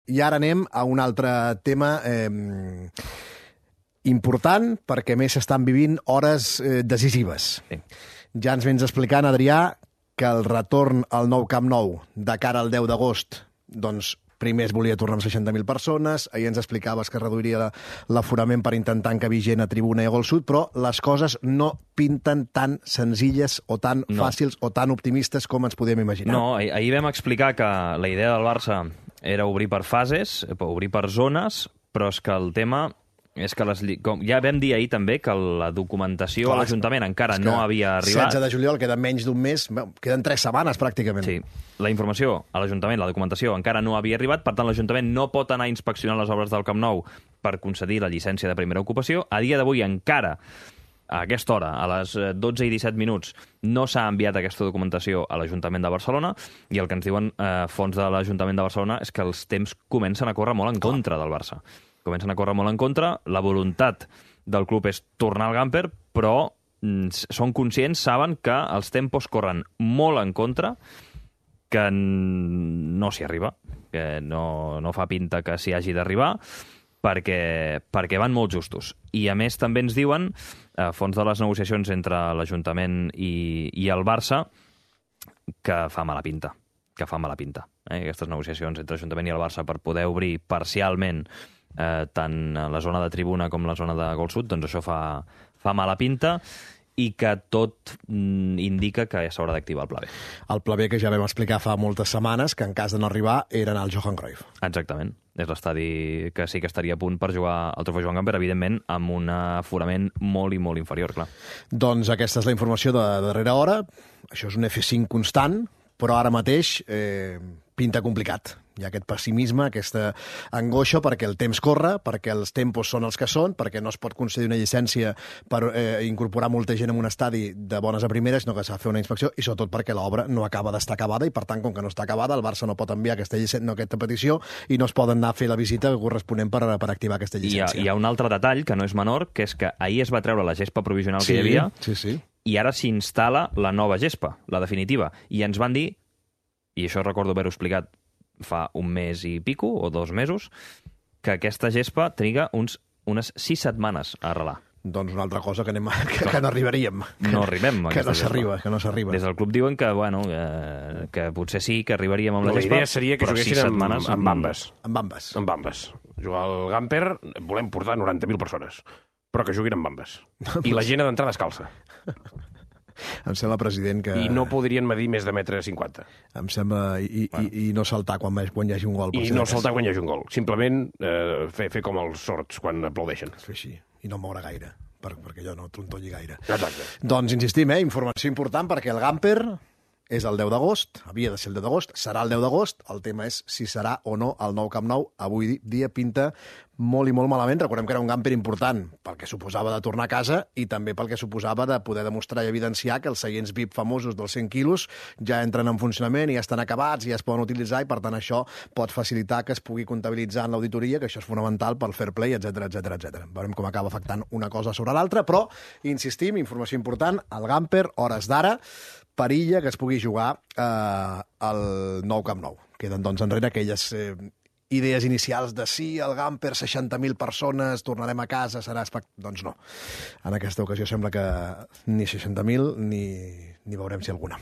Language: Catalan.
I ara anem a un altre tema important, perquè a més s'estan vivint hores decisives. Sí. Ja ens vens explicant, Adrià, que el retorn al nou Camp Nou de cara al 10 d'agost, doncs primer es volia tornar amb 60.000 persones, ahir ens explicaves que reduiria l'aforament per intentar encabir gent a tribuna i a Gol Sud, però les coses no pinten tan senzilles o tan fàcils o tan optimistes com ens podem imaginar. No, ahir vam explicar que la idea del Barça era obrir per fases, obrir per zones, però és que el tema és que ja vam dir ahir també que la documentació a l'Ajuntament encara no havia arribat. 16 de juliol, queda menys d'un mes, queden 3 setmanes pràcticament. Sí, la informació a l'Ajuntament, la documentació encara no havia arribat, per tant l'Ajuntament no pot anar a inspeccionar les obres del Camp Nou per concedir la llicència de primera ocupació. A dia d'avui encara, a aquesta hora, a les 12 i 17 minuts, no s'ha enviat aquesta documentació a l'Ajuntament de Barcelona, i el que ens diuen fons de l'Ajuntament de Barcelona és que els temps comencen a córrer molt en contra del Barça. Comencen a córrer molt en contra, la voluntat del club és tornar al Gamper, però són conscients, saben que els tempos corren molt en contra, que no s'hi arriba, que no fa pinta que s'hi hagi d'arribar, perquè van molt justos. I a més també ens diuen, a fons de les negociacions entre l'Ajuntament i el Barça, que fa mala pinta. Aquestes negociacions entre l'Ajuntament i el Barça per poder obrir parcialment tant la zona de tribuna com la zona de Gol Sud, doncs això fa mala pinta, i que tot indica que s'haurà d'activar el Pla B. El Pla B que ja vam explicar fa moltes setmanes, que en cas de no arribar era anar al Johan Cruyff. Exactament. És l'estadi que sí que estaria a punt per jugar al trofeu Joan Gamper, evidentment amb un aforament molt i molt inferior, clar. Doncs aquesta és la informació de darrera hora. Això és un F5 constant, però ara mateix pinta complicat. Hi ha aquest pessimisme, aquesta angoixa perquè el temps corre, perquè els tempos són els que són, perquè no es pot concedir una llicència per incorporar molta gent en un estadi de bones a primeres, sinó que s'ha de fer una inspecció, i sobretot perquè l'obra no acaba d'estar acabada, i per tant, com que no està acabada, el Barça no pot enviar aquesta petició i no es poden anar a fer la visita corresponent per activar aquesta llicència. Hi ha un altre detall que no és menor, que és que ahir es va treure la gespa provisional que hi havia, i ara s'instal·la la nova gespa, la definitiva, i ens van dir, i això recordo haver-ho explicat fa un mes i pico, o 2 mesos, que aquesta gespa triga unes 6 setmanes a arrelar. Doncs una altra cosa que no arribaríem. No arribem a aquesta gespa. Que no s'arriba. Des del club diuen que, que potser sí que arribaríem amb la gespa. La idea seria que juguessin amb bambes. Amb bambes. Jugar al Gamper volem portar 90.000 persones, però que juguin amb bambes. I la gent ha d'entrar descalça. Em sembla, president, que... I no podrien medir més de 1,50 m. Em sembla... I no saltar quan hi hagi un gol. I no saltar quan hi hagi un gol. Simplement fer com els sords quan aplaudeixen. Fer així. I no moure gaire, perquè allò no trontolli gaire. Exacte. Doncs insistim, informació important, perquè el Gamper és el 10 d'agost, havia de ser el 10 d'agost, serà el 10 d'agost, el tema és si serà o no el nou Camp Nou. Avui dia pinta molt i molt malament. Recordem que era un Gamper important pel que suposava de tornar a casa i també pel que suposava de poder demostrar i evidenciar que els seients VIP famosos dels 100 quilos ja entren en funcionament i ja estan acabats i ja es poden utilitzar, i per tant això pot facilitar que es pugui comptabilitzar en l'auditoria, que això és fonamental pel fair play, etc. Veurem com acaba afectant una cosa sobre l'altra, però insistim, informació important, el Gamper, hores d'ara, perilla que es pugui jugar al nou Camp Nou. Queden, doncs, enrere aquelles idees inicials de sí, el Gamper, 60.000 persones, tornarem a casa, serà espectacular. Doncs no. En aquesta ocasió sembla que ni 60.000 ni veurem si alguna.